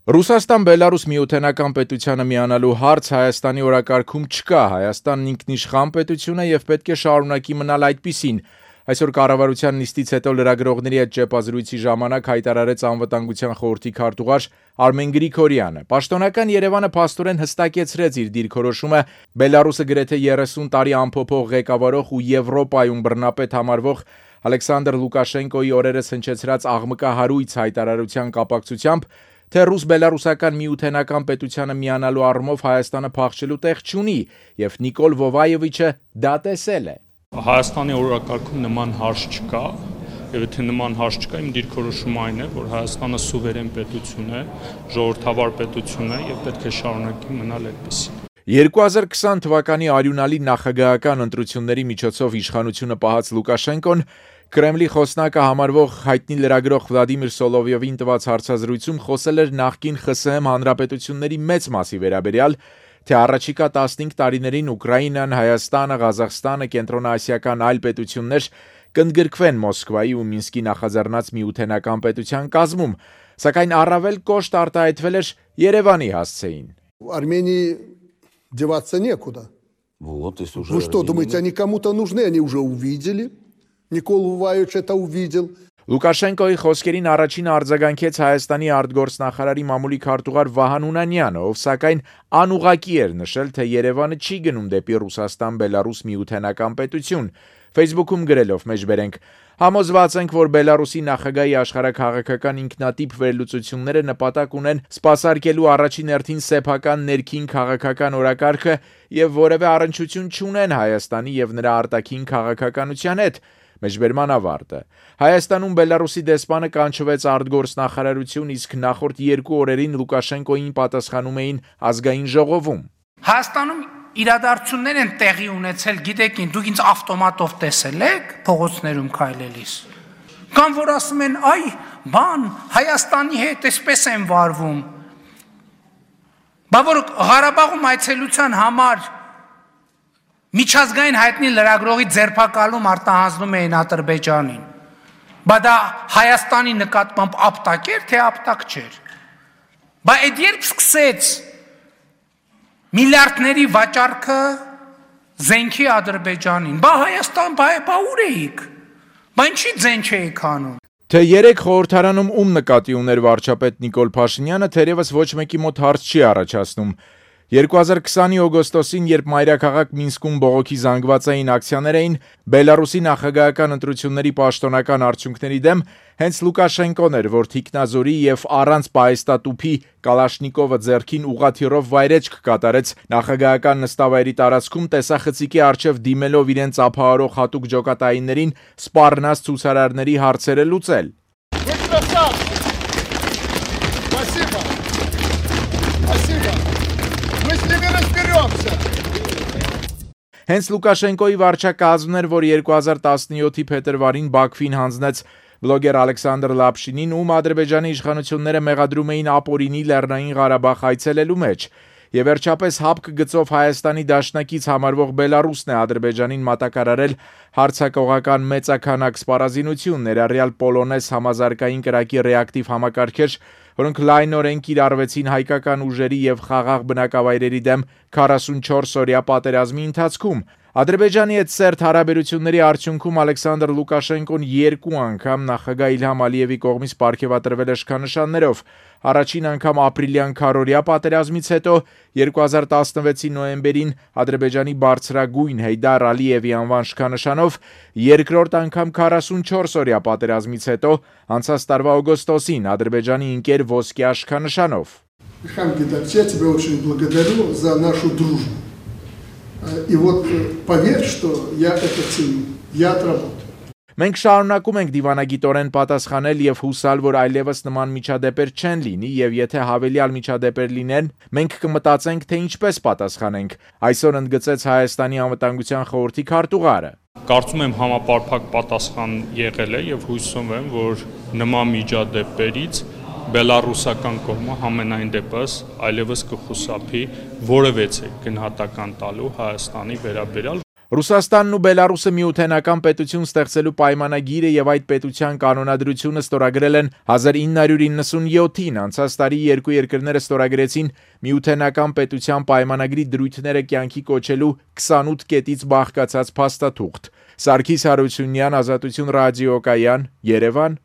Ռուսաստան-Բելարուս միութենական պետությանը միանալու հարց Հայաստանի օրակարգում չկա, Հայաստանն ինքնիշխան պետություն է և պետք է շարունակի մնալ այդպիսին, այսօր կառավարության նիստից հետո լրագրողների հետ ճեպազրույցի ժամանակ հայտարարեց Անվտանգության խորհրդի քարտուղար Արմեն Գրիգորյանը։ Պաշտոնական Երևանը փաստորեն հստակեցրեց իր դիրքորոշումը Բելարուսը գրեթե 30 տարի անփոփոխ ղեկավարող ու Եվրոպայում բռնապետ համարվող Ալեքսանդր Լուկաշենկոյի օրերս հնչեցրած աղմկահարույց հայտարարության կապակցությամբ, թե ռուս-բելարուսական միութենական պետությանը միանալու առումով Հայաստանը փախչելու տեղ չունի, և Նիկոլ Վովայովիչը դա տեսել է։ Հայաստանի օրակարգում նման հարց չկա, եւ եթե նման հարց չկա, իմ դիրքորոշումը այն է, որ Հայաստանը սուվերեն պետություն է, ժողովրդավար պետություն է եւ պետք է շարունակի մնալ այդպիսին։ 2020 թվականի արյունալի նախագահական ընտրությունների միջոցով իշխանությունը պահած Լուկաշենկոն Կրեմլի խոսնակը համարվող հայտնի լրագրող Վլադիմիր Սոլովյովին տված հարցազրույցում խոսել էր նախկին ԽՍՀՄ հանրապետությունների մեծ մասի վերաբերյալ, թե առաջիկա 15 տարիներին Ուկրաինան, Հայաստանը, Ղազախստանը, կենտրոնաասիական այլ պետություններ կընդգրկվեն Մոսկվայի ու Մինսկի նախաձեռնած միութենական պետության կազմում, սակայն առավել կոշտ արտահայտվել էր Երևանի հասցեին։ Армении деваться некуда. Вот, если уже... Вы что, думаете, они кому-то нужны? Они уже увидели. Նիկոլ Վովայոviչ это увидел. Լուկաշենկոյի խոսքերին առաջին արձագանքեց Հայաստանի արտգործնախարարի մամուլի քարտուղար Վահան Ունանյանը, ով սակայն անուղղակի էր նշել, թե Երևանը չի գնում դեպի Ռուսաստան-Բելարուս միութենական պետություն, Facebook-ում գրելով մեջբերենք. Համոզված ենք, որ Բելարուսի նախագահի աշխարհաքաղաքական ինքնատիպ վերլուծությունները նպատակ ունեն սպասարկելու առաջին հերթին սեփական ներքին քաղաքական օրակարգը եւ որևէ առնչություն չունեն Հայաստանի եւ նրա արտաքին քաղաքականության հետ։ Մեջբերման ավարտը։ Հայաստանում Բելարուսի դեսպանը կանչվեց արտգործնախարարություն, իսկ նախորդ 2 օրերին Լուկաշենկոյին պատասխանում էին ազգային ժողովում։ Հայաստանում իրադարձություններ են տեղի ունեցել, գիտեք, դուք ինձ ավտոմատով տեսել եք փողոցներում քայլելիս։ Կամ որ ասում են, այ, բան, Հայաստանի հետ էսպես են վարվում։ Բա որ Ղարաբաղում այցելության համար միջազգային հայտնի լրագրողի ձերբակալում արտահանձնում էին Ադրբեջանին։ Բա դա Հայաստանի նկատմամբ ապտակ էր, թե ապտակ չէր։ Բա այդ երբ սկսեց միլիարդների վաճառքը զենքի Ադրբեջանին, բա Հայաստան, բա ուր էիք։ Բա ինչի ձեն չէիք անում։ Թե 3 խորհրդարանում ում նկատի ուներ վարչապետ Նիկոլ Փաշինյանը, թերևս ոչ մեկի մոտ հարց չի առաջացնում։ 2020-ի օգոստոսին, երբ մայրաքաղաք Մինսկում բողոքի զանգված էին ակցիաներ էին Բելարուսի նախագահական ընտրությունների պաշտոնական արդյունքների դեմ, հենց Լուկաշենկոն էր, որ թիկնազորի եւ առանց պահեստատուփի Կալաշնիկովը ձեռքին ուղղաթիռով վայրեջք կատարեց նախագահական նստավայրի տարածքում տեսախցիկի առջև դիմելով իրենց ափահարող հատուկ ջոկատայիններին սպառնած ցուցարարների հարցերը լուծել։ Հենց Լուկաշենկոյի վարչակազմն էր, որ 2017-ի փետրվարին Բաքվին հանձնեց բլոգեր Ալեքսանդր Լապշինին, ում Ադրբեջանի իշխանությունները մեղադրում էին ապօրինի Լեռնային Ղարաբաղ այցելելու մեջ։ Եվ վերջապես հապկ գծով Հայաստանի դաշնակից համարվող Բելարուսն է Ադրբեջանին մատակարարել հարձակողական մեծաքանակ սպառազինություն, ներառյալ պոլոնես համազարգային կրակի ռեակտիվ համակարգեր, որոնք լայնորեն կիրառվեցին հայկական ուժերի եւ խաղաղ բնակավայրերի դեմ 44-օրյա պատերազմի ընթացքում։ Ադրբեջանի հետ սերտ հարաբերությունների արդյունքում Ալեքսանդր Լուկաշենկոն 2 անգամ նախագահ Իլհամ Ալիևի կողմից պարգևատրվել է շքանշաններով։ Առաջին անգամ ապրիլյան քառօրյա պատերազմից հետո 2016-ի նոյեմբերին Ադրբեջանի բարձրագույն Հեյդար Ալիևի անվան շքանշանով, երկրորդ անգամ 44-օրյա պատերազմից հետո անցած տարվա օգոստոսին Ադրբեջանի ընկեր ոսկյա շքանշանով։ Իլհամ Գիտարч, я тебя очень благодарю за нашу дружбу. И вот поверь, что я это ценю. Я отработаю. Մենք շարունակում ենք դիվանագիտորեն պատասխանել եւ հուսալ, որ այլևս նման միջադեպեր չեն լինի եւ եթե հավելյալ միջադեպեր լինեն, մենք կմտածենք, թե ինչպես պատասխանենք, այսօր ընդգծեց Հայաստանի անվտանգության խորհրդի քարտուղարը։ Կարծում եմ համապարփակ պատասխան եղել է եւ հույսում եմ, որ նման միջադեպերից Բելարուսական կողմը համենայն դեպս այլևս կխուսափի որևէ գնահատական տալու Հայաստանի վերաբերյալ։ Ռուսաստանն ու Բելարուսը միութենական պետություն ստեղծելու պայմանագիրը եւ այդ պետության կանոնադրությունը ստորագրել են 1997-ին, անցած տարի երկու երկրները ստորագրեցին միութենական պետության պայմանագրի դրույթները կյանքի կոչելու 28 կետից բաղկացած փաստաթուղթ։ Սարգիս Հարությունյան, Ազատություն ռադիոկայան, Երևան։